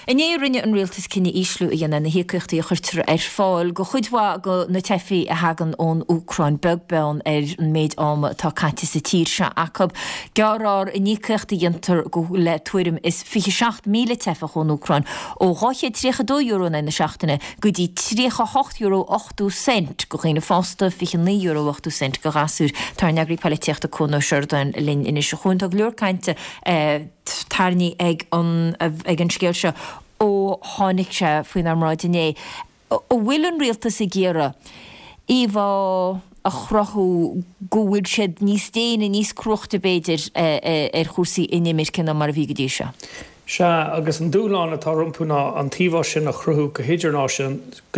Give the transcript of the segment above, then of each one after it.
Inné rinne an rialtas cinneadh ísliú a dhéanamh ar na híocaíochtaí a chuirtear ar fáil go chuid mhaith go na teifigh a thagann ón Úcráin, beag beann ar an méid ama atá caite sa tír seo acu. Gearrfar an íocaíocht a dhéantar go le tuairim is 27,000 teifeach ón Úcráin ó €232 in aghaidh na seachtaine go dtí €38.80 go dhaoine fásta, €29.80 go ghasúir. Tá ár n-eagraí poilitíochta Cuan Ó Seireadáin linn anois. A Chuain, tá go leor cainte tarraingthe ag an ag an scéal seo ó tháinig sé faoinár mbráid inné. An bhfuil an rialtas ag iarraidh íomhá a chruthú go bhfuil siad níos déine, níos cruaichte b'fhéidir ar chúrsaí inimirce ná mar a bhí go dtí seo? Sea, agus an dúshlán atá rompu ná an t-íomhá sin a chruthú go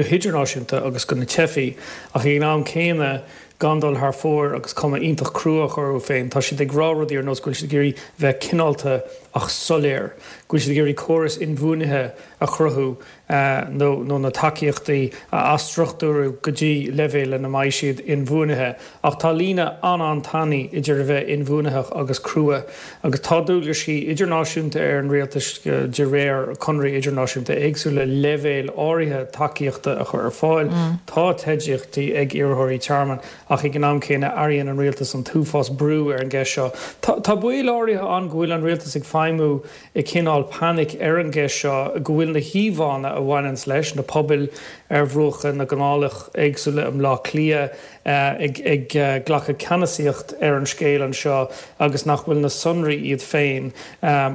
hidirnáisiúnta agus go na teifigh, ach ag an am céanna gan dul thar fóir agus cuma iontach crua a chur orthu féin. Tá siad ag rá rudaí ar nós go bhfuil siad ag iarraidh bheith cineálta ach soiléir, go bhfuil siad ag iarraidh córas inbhuanaithe a chruthú nó nó na tacaíochtaí a athstruchtúrú go dtí leibhéal lena mbeidh siad inbhuanaithe. Ach tá líne an-an-tanaí idir a bheith inbhuanaitheach agus crua. Agus tá dualgaisí idirnáisiúnta ar an rialtas de réir conarthaí idirnáisiúnta éagsúla leibhéal áirithe tacaíochta a chur ar fáil. Tá teidlíochtaí ag iarrthóirí tearmainn ach ag an am céanna airíonn an rialtas an t-uafás brú ar an gceist seo. Tá baol áirithe ann go bhfuil an rialtas ag feidhmiú i gcineál panic ar an gceist seo, go bhfuil na híomhánna a bhaineanns leis, na pobail ar bhruacha na gcanálach éagsúla i mBleá Cliath, ag glacadh ceannasaíocht ar an scéal anseo agus nach bhfuil na sonraí iad féin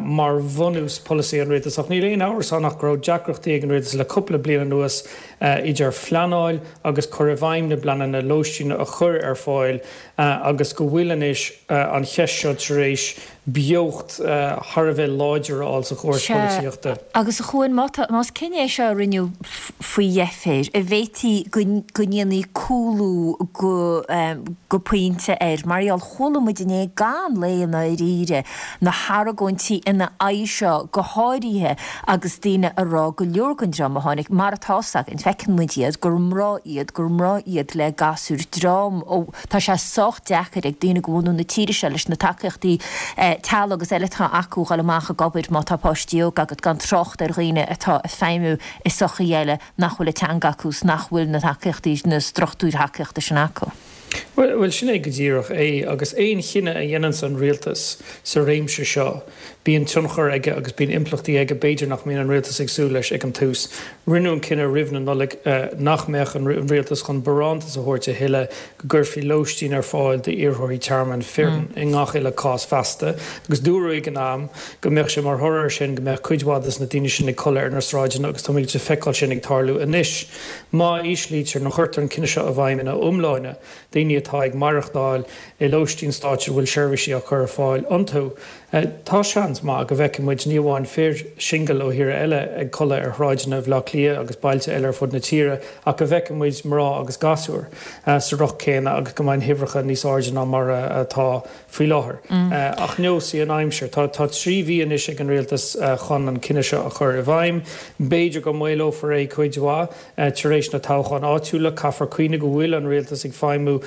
mar bhunús polasaí an rialtais. Ach níl aon amhras ann ach go raibh deacrachtaí ag an rialtas le cúpla bliain anuas idir phleanáil agus cur i bhfeidhm na bpleananna lóistín a chur ar fáil agus go bhfuil anois an cheist seo tar éis beocht thar a bheith láidir a fháil sa chóras Sea, polaitíochta. agus a Chuain, má tá, más cinneadh é seo a rinneadh faoi dheifir, an bhféadfaí go, go ndéanfaí cúlú go, go pointe air? Mar gheall, chuala muid inné gan lao i ndáiríre, na hargóintí ina aghaidh seo go háirithe agus daoine a rá go leor den dream a tháinig, mar atá 's againn, feiceann muid iad, gur mná iad, gur mná iad le gasúir, dream ó. Tá sé sách deacair ag daoine de bhunadh na tíre seo leis na tacaíochtaí teaghlaigh agus eile atá acu dhul amach ag obair má tá páistí óga agat, gan trácht ar dhaoine atá ag feidhmiú i sochaí eile nach bhfuil an teanga acu 's nach bhfuil na tacaíochtaí, na struchtúir thacaíochta sin acu. Bhuel, sin é go díreach é. Agus aon chinneadh a dhéananns an rialtas sa réimse seo, bíonn tionchar aige agus bíonn impleachtaí aige b'fhéidir nach mbíonn an rialtas ag súil leis ag an tús. Rinneadh an cinneadh roimh na Nollag nach mbeadh an rialtas chun barántas a thabhairt a thuilleadh go gcuirfí lóistín ar fáil d'iarrthóirí tearmainn fireann i ngach uile cás feasta agus dúradh ag an am go mbeadh sé mar thoradh air sin go mbeadh cuid mhaith des na daoine sin ag codladh ar na sráideanna agus táimid ag feiceáil sin ag tarlú anois. Má íslítear nó cuirtear an cinneadh seo i bhfeidhm ina iomláine, daoine atá ag maireachtáil i lóistín stáit a bhfuil seirbhísí á cur ar fáil iontu. Tá seans maith go bhfeicfidh muid ní amháin fir singil ó thíortha eile ag codladh ar shráideanna Bhaile Átha Cliath agus bailte eile ar fud na tíre ach go bhfeicfidh muid mná agus gasúir sa riocht céanna agus go mbeidh na huimhreacha níos airde ná mar atá faoi láthair. Ach neosfaidh an aimsir. Tá 3 mhí anois ag an rialtas chun an cinneadh seo a chur i bhfeidhm. B'fhéidir go maolófar é cuid mhaith. Tar éis na toghcháin áitiúla, caithfear cuimhneamh go bhfuil an rialtas ag feidhmiú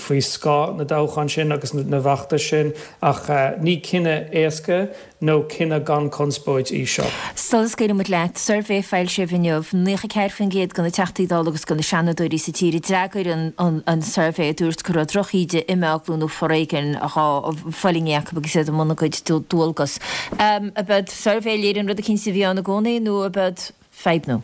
faoi scáth na dtoghchán sin agus na bhfeachtas sin, ach ní cinneadh éasca nó cinneadh gan conspóid í seo. Sula scaoilfidh muid leat, suirbhé foilsithe inniu, 94% de na Teachtaí Dála agus de na Seanadóirí sa tír a d'fhreagair an suirbhé a dúirt go raibh drochíde, imeaglú nó foréigean á fulaingt acu agus iad i mbun a gcuid dualgas. Ab eod suirbhé a léiríonn rud eicínt a bhí ann i gcónaí nó ab eod fadhb nua?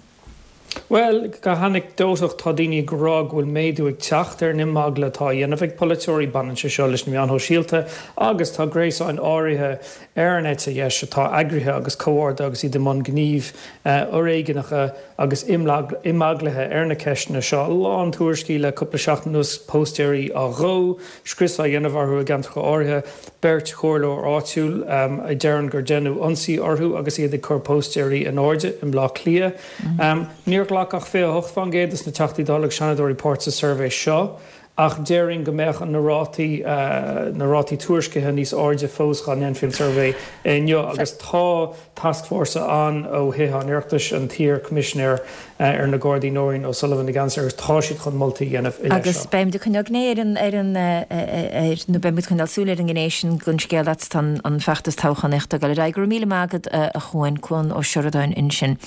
Bhuel, go hanaiceadótach tá daoine ag rá go bhfuil méadú ag teacht ar an imeagla atá á dhéanamh ag polaiteoirí. Baineann sé seo leis na meáin shóisialta agus tá gréasáin áirithe ar an eite dheis atá eagraithe agus comhordaithe agus iad i mbun gnímh fhoréigneacha agus imeaglaithe ar na ceisteanna seo. A lán tuairiscí le cúpla seachtain anuas, póstaeirí á dhó, scrios á dhéanamh orthu i gceantracha áirithe. Beirt chomhairleoir áitiúil a deireann gur deineadh ionsaí orthu agus iad ag cur póstaeirí in airde i mBleá Cliath. Níor ghlac ach 28% de na Teachtaí Dála agus Seanadóirí páirt sa suirbhé seo. Ach déarfainn go mbeadh na rátaí, na rátaí tuairiscithe níos airde fós dá ndéanfaí an suirbhé inniu agus tá tascfhórsa ann ó Thithe an Oireachtais, an t-iar-Choimisinéir ar na Gardaí Nóirín O'Sullivan ina gceannas air agus tá siad chun moltaí a dhéanamh i leith Agus seo. beimid ag coinneáil gné ar an, ar an, ar, nó beimid ag coinneáil súil ar an ngné sin den scéal fhad is atá an feachtas toghchánaíochta ag dul ar aghaidh. Go raibh míle maith agat a Chuain, Cuan Ó Seireadáin ansin.